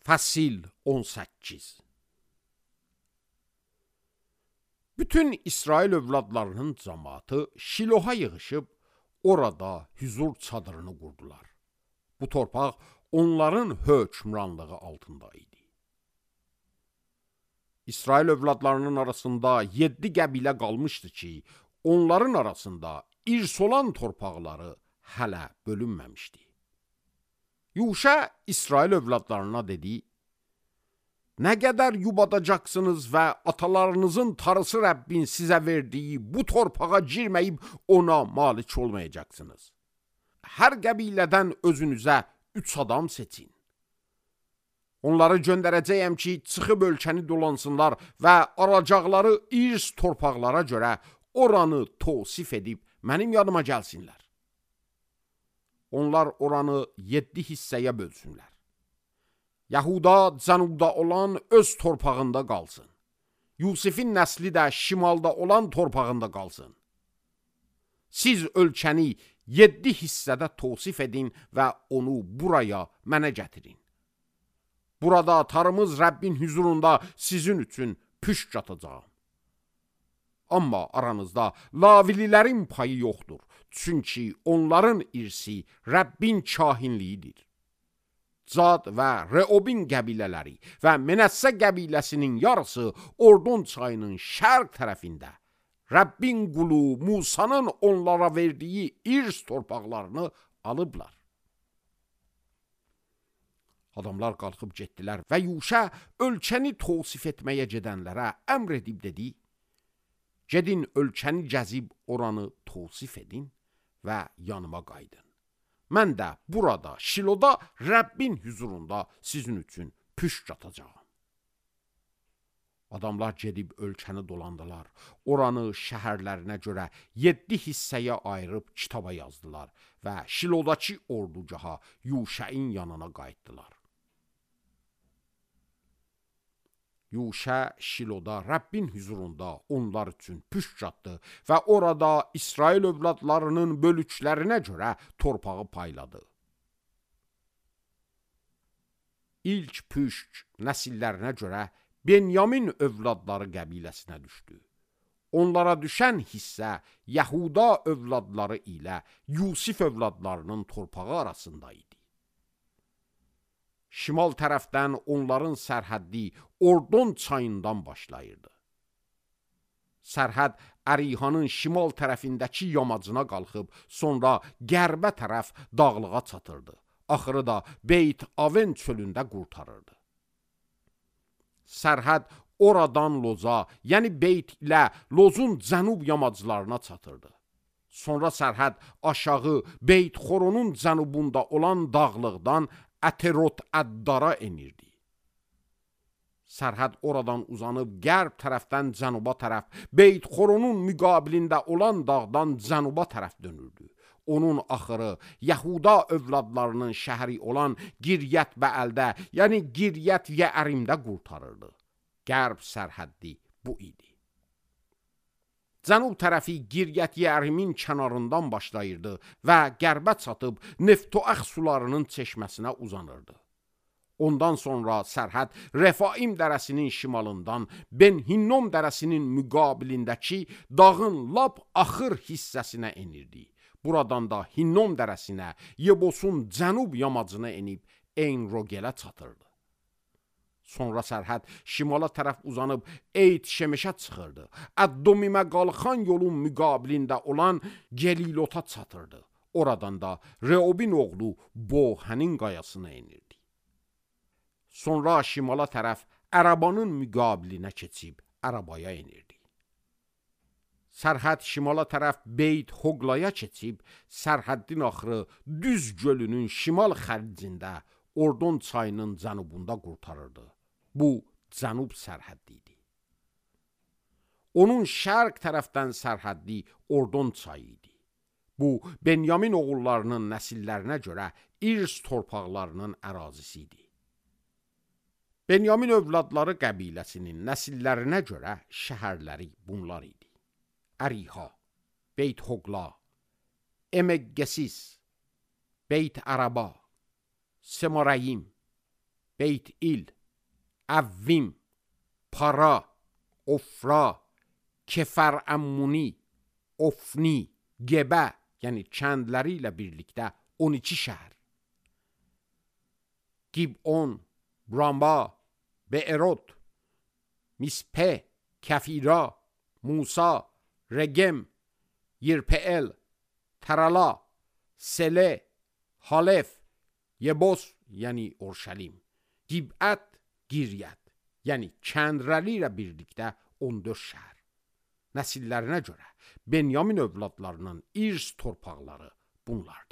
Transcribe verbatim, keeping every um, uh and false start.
Fəsil on səkkiz. Bütün İsrail övladlarının cəmaatı Şiloha yığışıb, orada hüzur çadırını qurdular. Bu torpaq onların hökmranlığı altında idi. İsrail övladlarının arasında yeddi qəbilə qalmışdı ki, onların arasında irs olan torpaqları hələ bölünməmişdi. Yuşa İsrail övladlarına dedi, nə qədər yubadacaqsınız və atalarınızın tarısı Rəbbin sizə verdiyi bu torpağa girməyib ona malik olmayacaqsınız. Hər qəbilədən özünüzə üç adam seçin. Onları göndərəcəyəm ki, çıxıb ölkəni dolansınlar və aracaqları irs torpaqlara görə oranı tosif edib mənim yanıma gəlsinlər. Onlar oranı yeddi hissəyə bölsünlər. Yahuda cənubda olan öz torpağında qalsın. Yusifin nəsli də şimalda olan torpağında qalsın. Siz ölkəni yeddi hissədə tosif edin və onu buraya mənə gətirin. Burada atarımız Rəbbin hüzurunda sizin üçün püşk atacağım. Amma aranızda Lavililərin payı yoxdur. Çünki onların irsi Rəbbin kahinliyidir. Cad və Reobin qəbilələri və Menəssə qəbiləsinin yarısı Ordon çayının şərq tərəfində Rəbbin qulu Musanın onlara verdiyi irs torpaqlarını alıblar. Adamlar qalxıb getdilər və Yuşa ölkəni tosif etməyə gedənlərə əmr edib dedi, gedin ölkəni gəzib oranı tosif edin və yanıma qaydın. Mən də burada, Şiloda, Rəbbin hüzurunda sizin üçün püşk atacağım. Adamlar gedib ölkəni dolandılar. Oranı şəhərlərinə görə yeddi hissəyə ayırıb kitaba yazdılar və Şilodakı ordugaha Yuşain yanına qayıtdılar. Yuşa Şiloda Rəbbin hüzurunda onlar üçün püşk atdı və orada İsrail övladlarının bölüklərinə görə torpağı payladı. İlk püşk nəsillərinə görə Benyamin övladları qəbiləsinə düşdü. Onlara düşən hissə Yahuda övladları ilə Yusif övladlarının torpağı arasında idi. Şimal tərəfdən onların sərhəddi Ordon çayından başlayırdı. Sərhəd Ərihanın şimal tərəfindəki yamacına qalxıb, sonra qərbə tərəf dağlığa çatırdı. Axırı da Beyt Aven çölündə qurtarırdı. Sərhəd oradan Loza, yəni Beyt ilə Lozun cənub yamaclarına çatırdı. Sonra sərhəd aşağı Beyt Xoronun cənubunda olan dağlıqdan Əterot Əddara enirdi. Sərhəd oradan uzanıb qərb tərəfdən cənuba tərəf, Beyt Xoronun müqabilində olan dağdan cənuba tərəf dönürdü. Onun axırı Yahuda övladlarının şəhəri olan Giryət Bəəldə, yəni Giryət Yeərimdə qurtarırdı. Qərb sərhəddi bu idi. Cənub tərəfi Giryət Yeərimin kənarından başlayırdı və qərbə çatıb Neftoəx sularının çeşməsinə uzanırdı. Ondan sonra sərhəd Refaim dərəsinin şimalından Ben Hinnom dərəsinin müqabilindəki dağın lap axır hissəsinə enirdi. Buradan da Hinnom dərəsinə, Yebosun cənub yamacına enib En-Rogelə çatırdı. Sonra sərhəd şimala tərəf uzanıb Eyt Şemeşə çıxırdı. Əddomimə qalxan yolun müqabilində olan Gelilota çatırdı. Oradan da Reobin oğlu Bohənin qayasına enirdi. Sonra şimala tərəf Ərabanın müqabilinə keçib Ərabaya enirdi. Sərhəd şimala tərəf Beyt Hoqlaya keçib, sərhəddin axırı Düz gölünün şimal xərcində Ordon çayının cənubunda qurtarırdı. Bu, cənub sərhəddi idi. Onun şərq tərəfdən sərhəddi Ordon çayı idi. Bu, Benyamin oğullarının nəsillərinə görə irs torpaqlarının ərazisi idi. Benyamin övladları qəbiləsinin nəsillərinə görə şəhərləri bunlar idi. Əriha, Beyt Hoqla, Emeqqesis, Beyt Əraba, Semarayim, Beyt-il, Əvvim, Para, Ofra, Kefər-Əmmuni, Ofni, Gebə, yəni kəndləri ilə birlikdə on iki şəhər. Gibon, Ramba, Be'erot, Mispe, Kəfira, Musa, Regem, Yirpe'el, Tərala, Sele, Halef, Yebos, yəni Orşəlim, Gibət, Giryət, yəni kəndləri ilə birlikdə on dörd şəhər. Nəsillərinə görə Benyamin övladlarının irs torpaqları bunlar.